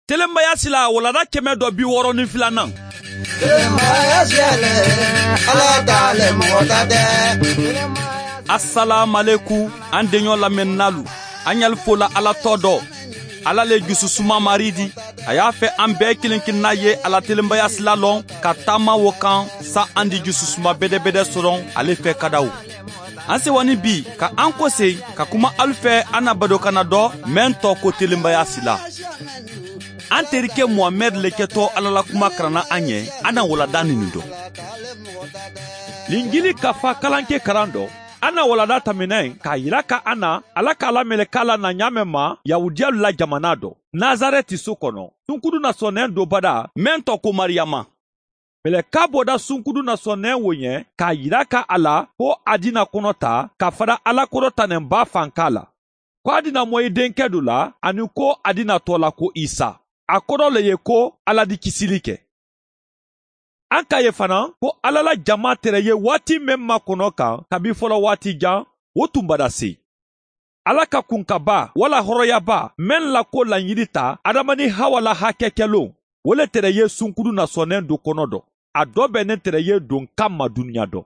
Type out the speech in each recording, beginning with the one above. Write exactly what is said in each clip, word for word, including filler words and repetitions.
Telenbaya sila walanda kɛmɛ dɔ bi wɔɔrɔ ni filanan. Telenbaya sila le, Ala ta le, mɔgɔ ta tɛ. Asalaamualeykum, an deɲɔ lamɛnninaalu, an ɲali fola Ala tɔɔ dɔ. Ala le jususuma Mari di. A y'a fɛ an bɛɛ kelen kelenna ye a la telenbaya sila lɔn ka taama wo kan, sa an di jususuma bɛdɛbɛdɛ sɔrɔ ale fɛ kadaw. An sewa ni bi ka an kosegi ka kuma alu fɛ, an na badokanna dɔ, meŋ tɔgɔ ko telenbaya sila. An terike Muhamɛdi le kɛtɔ Ala la kuma karanna an ye, an na walanda nini dɔn. Linjili kafa kalanke karan dɔ, an na walanda tamina yen k'a yira ka an na Ala ka Ala meleka la na ɲaameŋ ma Yahudiyalu la jamana dɔ, Nazarɛti so kɔnɔ, sunkudu nasɔnnɛn do badaa, meŋ tɔgɔ ko Mariyama. Meleka bɔda sunkudu nasɔnnɛn wo ɲɛ k'a yira ka a la ko a dina kɔnɔ ta ka fada Ala kɔrɔtanɛnba fanka la, ko a dina moyi denkɛ do la, ani ko a dina tɔɔ la ko Isa. A kɔrɔ le ye ko Ala di kisili kɛ. An ka ye fana ko Ala la jama tere ye waati meŋ makɔnɔ kan kabi fɔlɔ waati jan, wo tun badase. Ala ka kunkaba wala hɔrɔyaba meŋ la ko laɲini ta Adama ni Hawa la hakɛ kɛlon, wo le tere ye sunkudu nasɔnnɛn do kɔnɔ dɔ. A dɔ bɛnnen tere ye don kan ma duniɲa dɔ.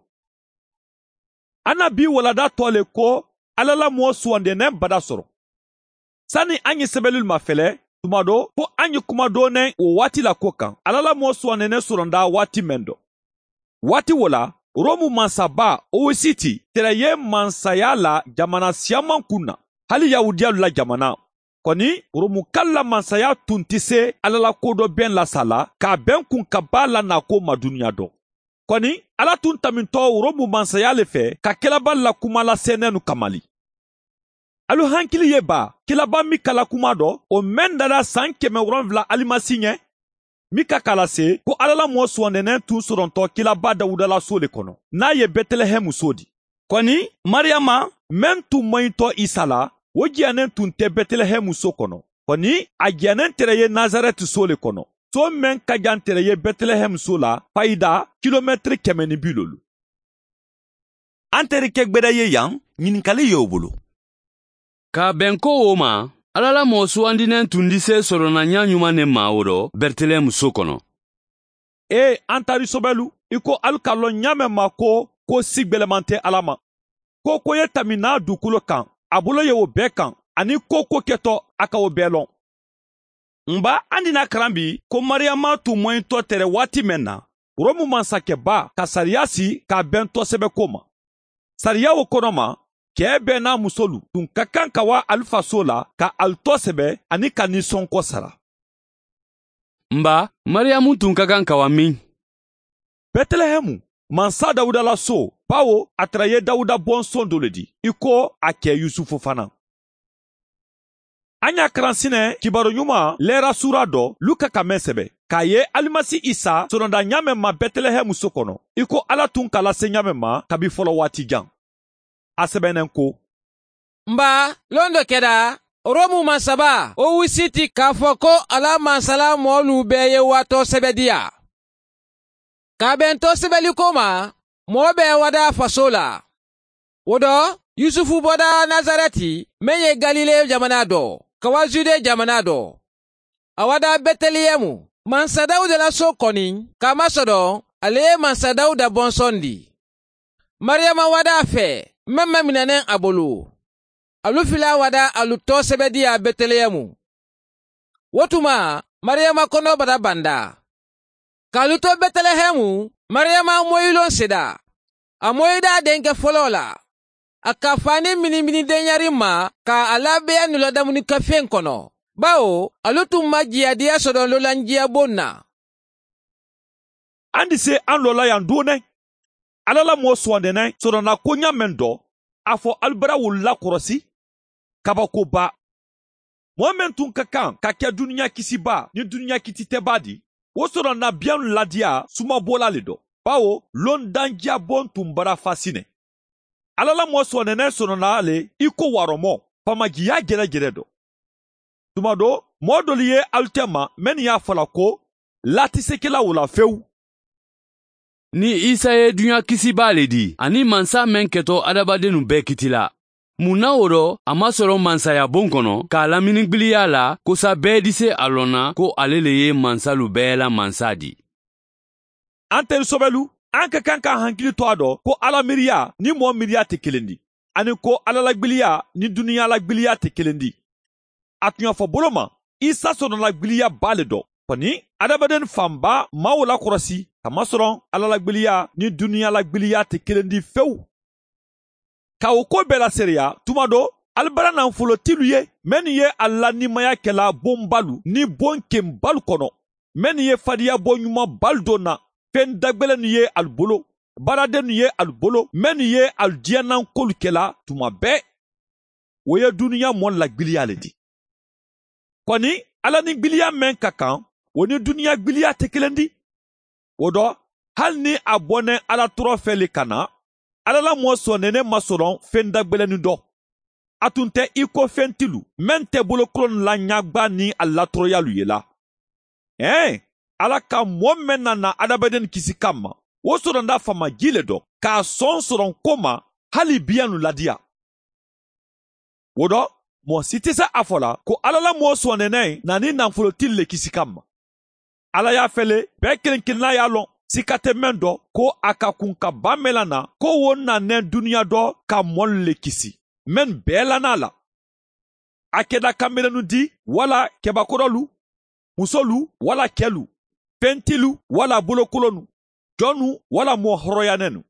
An na bi walanda tɔɔ le ko Ala la moo suwandɛnɛ bada sɔrɔ. Sani an ye sɛbɛlilu mafɛlɛ, tuma dɔ fo an ye kuma dɔɔnɛ wo waati la ko kan Ala la moo suwandɛnɛ sɔrɔnda waati meŋ dɔ. Waati wo la, Romu mansaba Owusiti tere ye mansaya la jamana siyaman kun na, hali Yahudiyalu la jamana. Kɔni, Romukalu la mansaya tun tɛ se Ala la kodɔnbɛn la sa la, k'a bɛn kunkaba la naako ma duniɲa dɔ. Kɔni, Ala tun tanbintɔ Romu mansaya le fɛ ka kiraba la kuma la sɛnɛnu kamali. Alu hankili ye ba, kiraba Mika la kuma dɔ, o meŋ dara san kɛmɛ wolonwula Alimasi ɲɛ? Mika k'a lase ko Ala la moo suwandɛnɛ tun sɔrɔntɔ kiraba Dawuda la so le kɔnɔ, n'a ye Bɛtelɛhɛmu so di. Kɔni, Mariyama meŋ tun moyitɔ Isa la, wo jiyanen tun tɛ Bɛtelɛhɛmu so kɔnɔ. Kɔni, a jiyanen tere ye Nazarɛti so le kɔnɔ, so meŋ ka jan tere ye Bɛtelɛhɛmu so la fayida kilomɛtiri kɛmɛ ni bi luulu. An terike gbeda ye yan, ɲininkali ye wo bolo. K'a bɛn ko wo ma, Ala la moo suwandinen tun dise sɔrɔna ɲa ɲuman ne ma wo dɔ Bɛtelɛhɛmu so kɔnɔ. Ee, an taari sobɛlu, i ko alu ka lɔn ɲaameŋ ma ko, ko si gbeleman tɛ Ala ma. Ko ko ye tanbi naa dukolo kan, a bolo ye wo bɛɛ kan, ani ko ko kɛtɔ, a ka wo bɛɛ lɔn. N ba, an dina karan bi ko Mariyama tun moyitɔ tere waati meŋ na, Romu mansakɛba ka sariya si k'a bɛn tɔsɛbɛko ma. Sariya wo kɔnɔ ma, cɛ bɛɛ n'a musolu tun ka kan ka waa alu faso la ka alu tɔsɛbɛ ani ka nisɔnkɔ sara. N ba, Mariyamu tun ka kan ka waa min? Bɛtelɛhɛmu, mansa Dawuda la so, bawo a tara ye Dawuda bɔnsɔn do le di, i ko a cɛ Yusufu fana. An y'a karan sinɛ kibaru ɲuman lɛɛrasuura dɔ Luka ka meŋ sɛbɛ, k'a ye Alimasi Isa sɔrɔnda ɲaameŋ ma Bɛtelɛhɛmu so kɔnɔ, i ko Ala tun k'a lase ɲaameŋ ma kabi fɔlɔ waati jan. A sɛbɛnnen ko: N ba, lon dɔ kɛra, Romu mansaba Owusiti k'a fɔ ko a la mansala moolu bɛɛ ye waatɔ sɛbɛ di a. K'a bɛn tɔsɛbɛliko ma, moo bɛɛ wadaa faso la. Wo dɔ, Yusufu bɔda Nazarɛti, meŋ ye Galile jamana dɔ, ka waa Jude jamana dɔ. A wadaa Bɛtelɛhɛmu, mansa Dawuda la so kɔni, k'a masɔdɔ a le ye mansa Dawuda bɔnsɔn di. Mariyama wadaa fɛ, meŋ maminaneŋ a bolo. Alu fila wadaa alu tɔsɛbɛ di a Bɛtelɛhɛmu. Wo tuma, Mariyama kɔnɔ bara banda. K'a lu to Bɛtelɛhɛmu, Mariyama moyiloŋ seda. A moyida a denkɛ foloo la. A ka fani minimini denyari ma, ka a labeya nuladamunikafeŋ kono, bawo alu tun ma jiyadiya sodo lolanjiya boŋ na. An di se an lola yan doonɛ. Ala la moo suwandɛnɛ sɔrɔna koɲa meŋ dɔ, a fɔ alu bara wolu lakɔrɔsi. Kabakoba. Moo meŋ tun ka kan ka ke duniɲa kisiba ni duniɲa kititɛba di, wo sɔrɔna biyanu ladiya sumabola le dɔ, bawo londanjiya boŋ tun bara fasinɛ. Ala la moo sɔnɛnɛ sɔnɔna le i ko warɔmɔ, famajiya jɛrɛjɛrɛ dɔ. Tuma do, moo dolu ye alu tɛma mennu y'a fɔ la ko laatisekela wo la fewu. Ni Isa ye duɲa kisibaa le di, ani mansa meŋ ketɔ adamadennu bɛɛ kitila. Mun na wo do a maŋ soloŋ mansaya boŋ kono ka a lamini gbiliyaa la? Kosa bee dise a loŋ na ko ale le ye mansalu bee la mansa di. Antelu sobelu, an ka kaŋ ka hankili to a do ko alla miiriyaa niŋ moo miiriyaa te kelendi, aniŋ ko alla la gbiliyaa niŋ duniyaa la gbiliyaa te kelendi. A tuɲa fo bolo ma, isa sono la gbiliyaa baa le do. Koni, adamaden fanbaa maŋ wo lakorosi ka masoroŋ alla la gbiliyaa niŋ duniyaa la gbiliyaa te kelendi fewu. Ka wo kuwo bee laseereya tuma do, ali bara naŋ folotilu ye mennu ye ali la nimayaa kela boŋ baalu niŋ boŋ keŋ baalu kono, mennu ye fadiya boŋ ɲuman baalu do na. Feŋ dagbelennu ye ali bolo, baaradennu ye ali bolo mennu ye ali diyanankoolu kela tuma bee. Wo ye duniyaa moolu la gbiliyaa le ti. Koni, alla niŋ gbiliyaa meŋ ka kaŋ, wo niŋ duniyaa gbiliyaa te kelendi. Wo do, hali niŋ a boneŋ alla toroo fee le ka na, alla la moo sooneene maŋ soloŋ feŋ dagbelennu do. A tun te i ko fentilu meŋ te bolokolonnu la ɲaagbaa niŋ a latorooyaalu ye la. Ee, alla ka moo meŋ na na adamadennu kisi kamma, wo soronda faama jii le do ka a soŋ soronko ma, hali biyaŋ ladiya. Wo do, moo si ti sa a fo la ko alla la moo sooneene na niŋ nanfolotili le kisi kamma. Alla ye a fele bee kiliŋ kiliŋ na ye a loŋ, sika te meŋ do, ko a ka kuŋ ka baa mela na ko wo na neŋ duniyaa do ka moolu le kisi, mennu bee la naa la. A keda kambelennu di walla kebakorolu, musolu walla kelu, fentilu walla bolokolonnu, jonnu walla moo horoyanennu.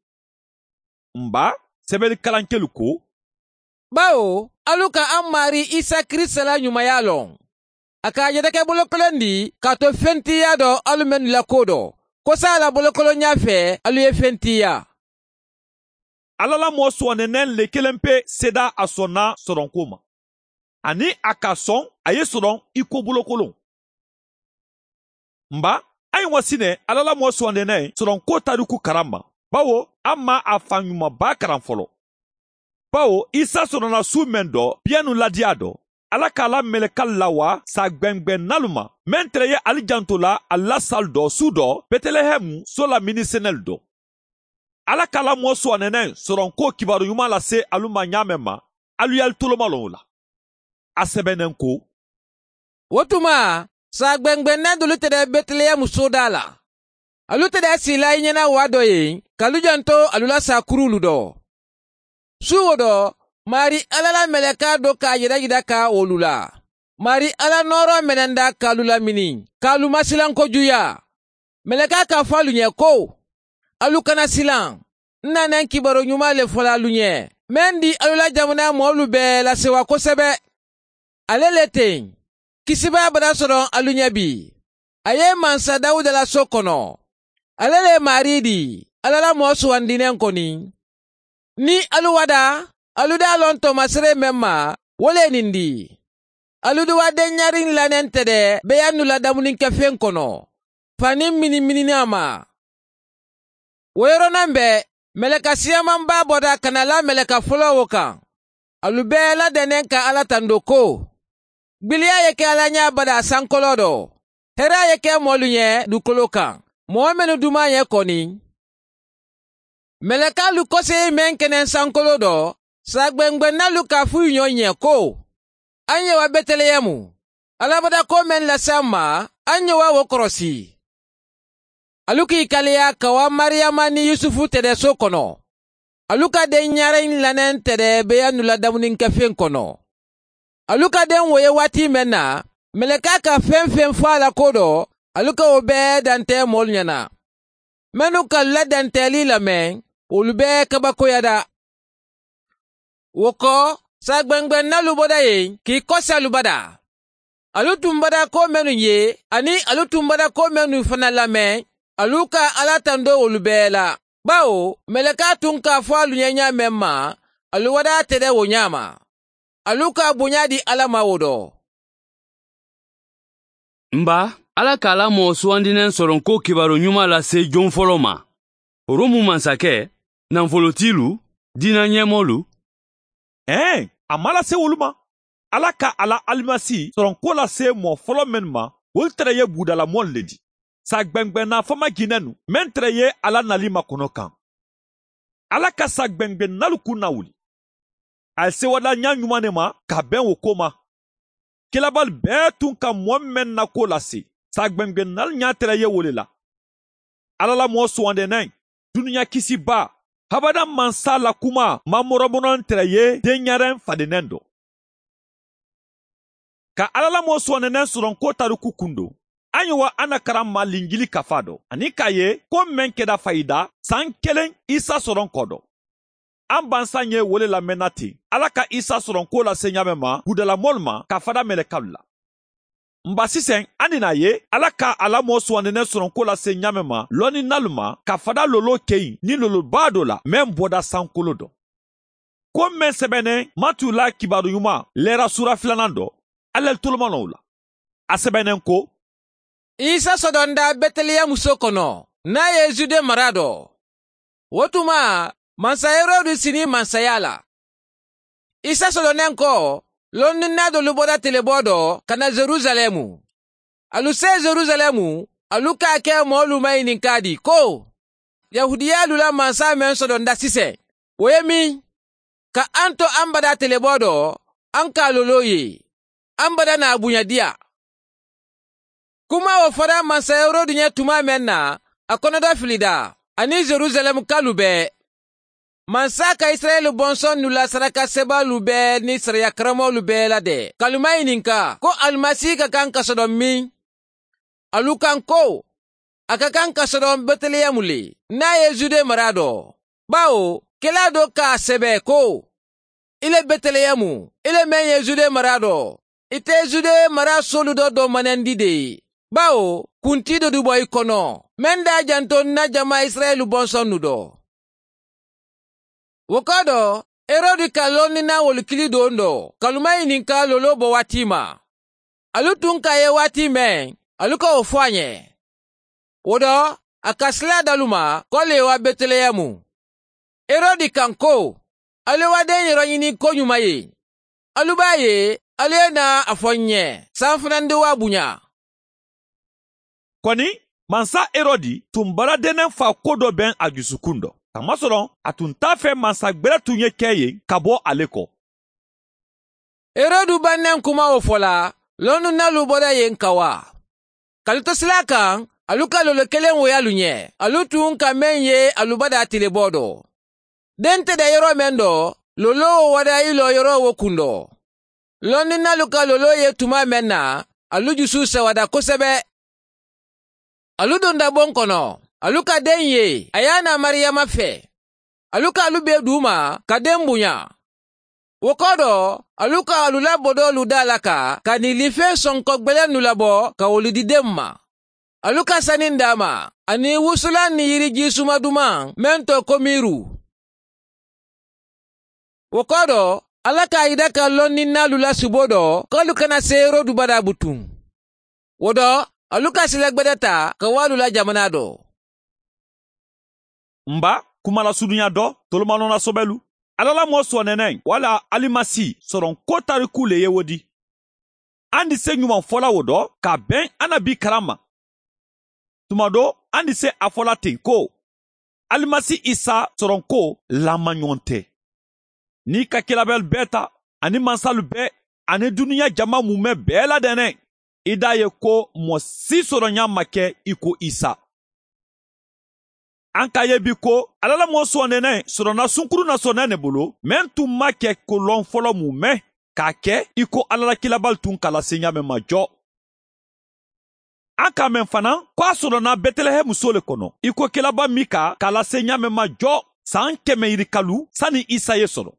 M baa, sebelikalankelu ko, bawo alu ka a maarii isa kirisita la ɲumayaa loŋ. A ka a jata ke bolokolondi ka a to fentiiyaa do alu mennu la kuwo do, kosa a la bolokolonyaa fee alu ye fentiiyaa. Alla la moo suwandineŋ le keleŋ pe seedaa a sonna soronkuwo ma, aniŋ a ka a soŋ a ye soroŋ i ko bolokoloŋ. M baa, a ye ŋwa sine alla la moo suwandineŋ soronkuwo tariku karaŋ ma, bawo a maŋ a faŋ ɲuman baa karaŋ folo. Bawo isa sonona suu meŋ do biyannu ladiyaa do, alla ka a la melekaalu lawaa saa gbengbennalu ma, meŋ tere ye ali janto la ali la saalu do suu do betelehemu soo la minisenelu do. Alla ka a la moo suwandineŋ soronkuwo kibaaru ɲumaa lase alu ma ɲaameŋ ma, alu ye ali tolomaloŋ wo la. A sebeneŋ ko, wo tuma, saa gbengbenna doolu te de betelehemu soodaa la. Alu te de siila i ɲena waa do ye ka alu janto alu la saakuruulu do. Suuwo do, maarii alla la melekaa do ka a yedayeda ka wolu la. Maarii alla nooroo menenda ka alu lamini, ka alu masilankojuuyaa. Melekaa ka a fo alu ɲe ko, alu kana silaŋ. N na neŋ kibaaroo ɲumaa le fola alu ɲe, meŋ di alu la jamanaa moolu bee la sewa kosebe. Ale le teŋ, kisibaa bada soroŋ alu ɲe bii. A ye mansa dawuda la soo kono. Ale le maarii di, alla la moo suwandineŋ koni. Niŋ alu wadaa, alu daa loŋ toomaseree meŋ ma, wo le niŋ di. Alu duwa deŋ ɲariŋ la neŋ te de beyannu la damuninkefeŋ kono, faniŋ minimininaa ma. Wo yoronaŋ be, meleka siyamanbaa bota ka na la meleka foloo wo kaŋ. Alu bee la deneŋ ka alla tandoo ko, gbiliyaa ye ke alla ɲaa badaa sankoloo do. Heeraa ye ke moolu ɲe dukoloo kaŋ, moo mennu dumaa ɲe koni. Melekaalu koseyi meŋ ke neŋ sankoloo do, saa gbengbennalu ka a fuyuɲoo ɲe ko, aŋ ye wa betelehemu, alla bata koo meŋ lasi a ma, aŋ ye wa wo korosi. Alu ka i kaleya ka wa mariyama niŋ yusufu tede soo kono. Alu ka deŋ ɲareŋ laneŋ tede beyannu la damuninkefeŋ kono. Alu ka deŋ wo ye waati meŋ na, melekaa ka feŋ-feŋ fo a la koo do, alu ka wo bee dante moolu ɲana, mennu ka alu la danteelii lameŋ, wolu bee kabakoyata. Wo ko, saa gbengbennalu bota yen ka i kosi alu bata. Alu tun bata koo mennu ye, aniŋ alu tun bata koo mennu fanaa lameŋ, alu ka alla tandoo wolu bee la. Bawo melekaa tun ka a fo alu ɲe ɲaa meŋ ma, alu wadaa tede wo ɲaa ma. Alu ka a buɲaa di alla ma wo do. M baa, alla ka a la moo suwandineŋ soronkoo kibaaroo ɲumaa lase joŋ foloo ma. Romu mansakee, nanfolotiilu, diina ɲeemoolu. Ee, a maŋ lase wolu ma. Alla ka a la alimasi soronkoo lase moo foloo mennu ma, wolu tere ye buudalamoolu le ti, saa gbengbenna famajiinennu meŋ tere ye a la nali makono kaŋ. Alla ka saa gbengbennalu kunnawuli. A ye seewada ñaa ñumaŋ ne ma ka beŋ wo ko ma. Kelabaalu bee tun ka moo meŋ na kuwo lase, saa gbengbennalu ñaa tara ye wo le la. Alla la moo suwandineŋ, duniyaa kisibaa, habadaŋ mansa la kumaa maŋ moromono tara ye denyaareŋ fadineŋ do. Ka alla la moo suwandineŋ soronko tariku kundo, a ñowa a na karaŋ ma linjili kafaa do aniŋ ka a ye ko meŋ keda fayida san keleŋ isa soronko do. A baŋ saŋ ye wo le lamenna teŋ alla ka isa soronko lase ñaameŋ ma gudalamoolu ma ka fada melekalu la. M ba siseŋ a ni naa ye alla ka a la moo suwandineŋ soronko lase ñaameŋ ma lonninnaalu ma ka fada loloo keyi niŋ loloo baa do la meŋ boda sankoloo do. Ko meŋ sebeneŋ matu la kibaaru ñumaa leera suura filanaŋ do, alla le tolomanoŋ wo la. A sebeneŋ ko, isa sodonda beteleyemu soo kono niŋ a ye jude mara do. Wo tuma mansa herodi sini mansayaa la. Isa sodoneŋ ko, lonninnaa doolu bota teleboo do ka na yerusaleemu. Alu see yerusaleemu, alu ka a ke moolu mayininkaa di ko, yahudiyaalu la mansa meŋ sodonda siseŋ, wo ye miŋ? Ka a n to a n badaa teleboo do, a n ka a loloo ye, a n bada naa buñadiya. Kumaa wo fada mansa herodi ñe tumaa meŋ na, a konodo filida aniŋ yerusaleemu kalu bee. Mansa ka isirayila bonsonnu la sarakasebaalu bee niŋ sariya karamoolu bee la de ka alu mayininka ko alimasi ka kaŋ ka sodoŋ miŋ? Alu kaŋ ko, a ka kaŋ ka sodoŋ beteleyemu le niŋ a ye jude mara do. Baawo kelaa do ka a sebe ko, i le beteleyemu, i le meŋ ye jude mara do, i te jude mara soolu do domanandi de. Baawo kuntii do du bo i kono meŋ daa janto n na jamaa isirayila bonsonnu do. Wo kodo, herodi ka lonninaa wolu kili doondoo ka alu mayininka loloo bo waati ma. Alu tun ka a ye waati meŋ, alu ka wo fo a ñe. Wo do, a ka silaa dalu ma ko ali ye wa beteleyemu. Herodi kaŋ ko, ali ye wa denyero ñini koñuma ye. Alu be a ye, ali ye naa a fo n ñe, saafanandi wo a buña. Koni, mansa herodi tun baradeneŋ faa ko do beŋ a jusukuŋ do, kamasoloŋ a tun taa fee mansa gbere tun ye ke ye ka bo ale ko. Herodu baŋ neŋ kuma wo fo la, lonninnaalu bota ye n kawaa. Ka alu to silaa kaŋ, alu ka lolo keleŋ woyi alu ñe, alu tun ka meŋ ye alu badaa tileboo do. Deŋ te da yeroo meŋ do, lolo wo wada i loo yeroo wo kundo. Lonninnaalu ka lolo ye tumaa meŋ na, alu jusu sewada kosebe. Alu donda boŋ kono, alu ka deŋ ye, a ye a naa mariyama fee. Alu ka alu bee duu ma ka deŋ buña. Wo kodo, alu ka alu la bodoolu daalaka ka niilifeŋ sonko gbelennu labo ka wolu di deŋ ma. Alu ka saniŋ daa ma, aniŋ wusulaŋ niŋ yirijii suma dumaŋ meŋ to komiiru. Wo kodo, alla ka a yita ka lonninnaalu la suboo do ko alu kana seeroolu badaa butuŋ. Wo do, alu ka sila gbada taa ka wo alu la jamanaa do. M ba, kuma la suduña do tolomanoŋ na sobelu, alla la moo soneneŋ walla alimasi soroŋ ko tariku le ye wo di. Andi se ñumaŋ fo la wo do ka a beŋ a na bii karaŋ ma. Tuma do andi se a fo la teŋ ko, alimasi isa soroŋ ko laamañoŋ te. Niŋ i ka kelabelu bee ta, aniŋ mansalu bee, aniŋ duniya jama mume bee la deneŋ, i daa ye ko moo si soroñaa ma ke i ko isa. Aŋ ka a ye bi ko alla la moo sonneneŋ soroŋ na sunkuru na sonneŋ ne bulu meŋ tun maŋ ke ko loŋ folo mume, ka a ke i ko alla la kelabaalu tun ka a lase ñaameŋ ma jo. Aŋ ka a meŋ fanaa ko a soroŋ na betelehemu soo le kono i ko kelabaa mika ka a lase ñaameŋ ma jo, saŋ keme yirikalu sani isa ye soroŋ.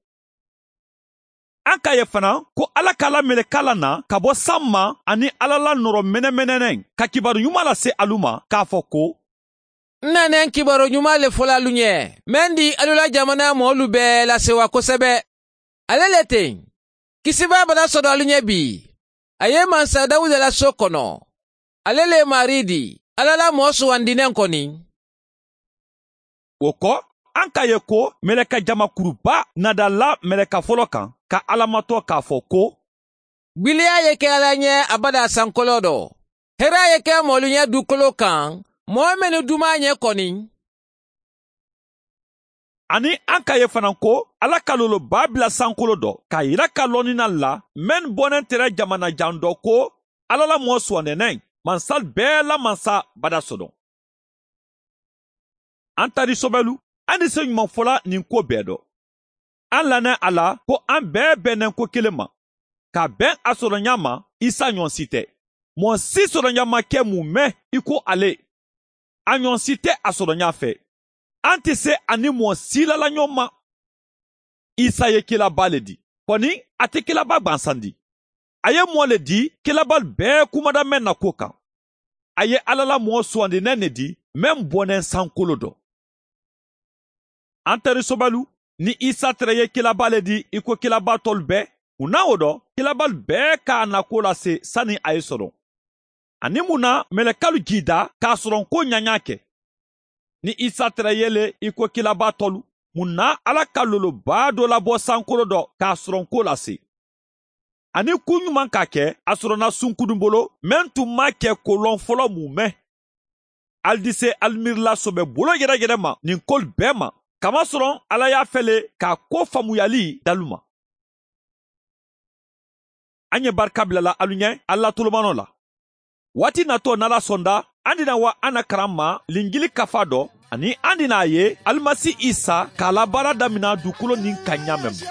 Aŋ ka a ye fanaa ko alla ka a la melekaa la naa ka bo saŋ ma aniŋ alla la noro menemeneneŋ ka kibaaru ñumaa lase alu ma ka a fo ko, n na neŋ kibaaru ñumaa le fo la alu ñe meŋ di alu la jamanaa moolu bee la sewa kosebe. Ale le teŋ, kisibaa bata soto alu ñe bii. A ye mansa dawuda la soo kono. Ale le maariidi, alla la moo suwandineŋ koni. Wo ko, aŋ ka a ye ko meleka jama kuru baa nadalla meleka folo kaŋ ka alla matoo ka a fo ko, gbiliyaa ye ke alla ñe abadaa sankoloo do. Heraa ye ke moolu ñe duukoloo kaŋ moo mennu dumaa ñe koni. Aniŋ aŋ ka ye fanaŋ ko alla ka loolobaa bila sankolo do ka yira ka loninaŋ la mennu boneŋ tere jamana jaŋ do ko alla la moo suwandineŋ mansalu bee la mansa bada sodoŋ. Aŋ tari sobelu, aŋ ni se ɲumaŋ fola ɲiŋ kuwo bee do. Aŋ lanee a la ko aŋ bee be neŋ ko kiliŋ ma ka beŋ a soroɲaa ma. Isa ɲoŋ si te moo si soroɲaa ma ke mume i ko ale. A ɲoŋ si te a soroɲaa fe. Aŋ ti se a ni moo si la la ɲoŋ ma. Isa ye kilabaa le di, koni a ti kilabaa gbansandi. A ye moo le di kilabaalu bee kumada meŋ na kuwo kaŋ. A ye alla la moo suwandineŋ ne di meŋ boneŋ sankolo do. Aŋ tari sobelu, niŋ isa tere ye kilabaa le di i ko kilabaa tolu bee, muŋ na wo do kilabaalu bee ka a na kuwo lase sani a ye soroŋ? Aniŋ muŋ na melekalu jiida ka a soroŋ kuwo ɲaɲaa ke? Niŋ isa tere ye le i ko kilabaa tolu, muŋ na alla ka loolobaa do labo sankolo do ka a soroŋ kuwo lase? Aniŋ kuu ɲumaŋ ka ke a soronna sunkudun bolo meŋ tun maŋ ke ko loŋ folo mume? Ali dise ali miirila sobe bolo yereyere ma niŋ kolu bee ma, kamasoroŋ alla ye a fele ka a ko faamuyali dalu ma. Aŋ ye barika bila la alu ɲe alla tolomanoo la. Waati natoo niŋ alla sonda, aŋ dina wa aŋ na karaŋ ma linjili kafaa do aniŋ aŋ dina a ye alimasi isa ka a la baara damina dukolo niŋ kaŋ ɲaameŋ ma.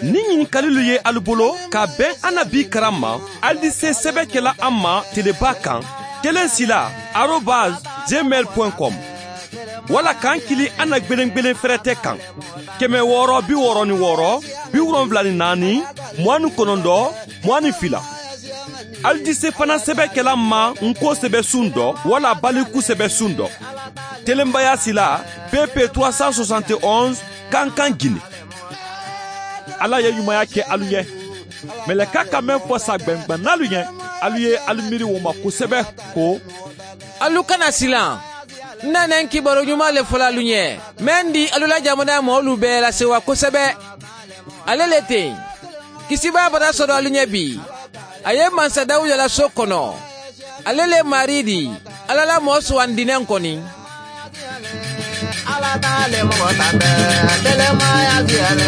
Niŋ ɲinikalilu ye alu bolo ka a beŋ aŋ na bii karaŋ ma, alu di se sebe ke la aŋ ma telebaa kaŋ, keleŋ sila arobas gmail point com, walla kaŋ kili aŋ na gbelengbelen ferete kaŋ, keme wooro bi wooro ni wooro, bi wolonwula ni naani, muwaŋ ni konondoo, muwaŋ ni fila. Alu di se fanaŋ sebe ke la aŋ ma ŋ ko sebe suŋ do walla baliku sebe suŋ do. Telenbaya sila pp trois cent soixante et onze, kankan gine. Alla ye ɲumaya ke alu ɲe. Meleka ka meŋ fo sa gbengbennaalu ɲe, alu ye alu miiri wo ma kosebe, ko alu kana silaŋ. N na neŋ kibaaru ɲumaa le fola alu ɲe, meŋ di alu la jamanaa moolu bee la sewa kosebe. Ale le teŋ, kisibaa bata soto alu ɲe bii. A ye mansa dawuda la so kono. Ale le maarii di, alla la moo suwandineŋ koni. Alla taale moxo ta bee telemaya diyale.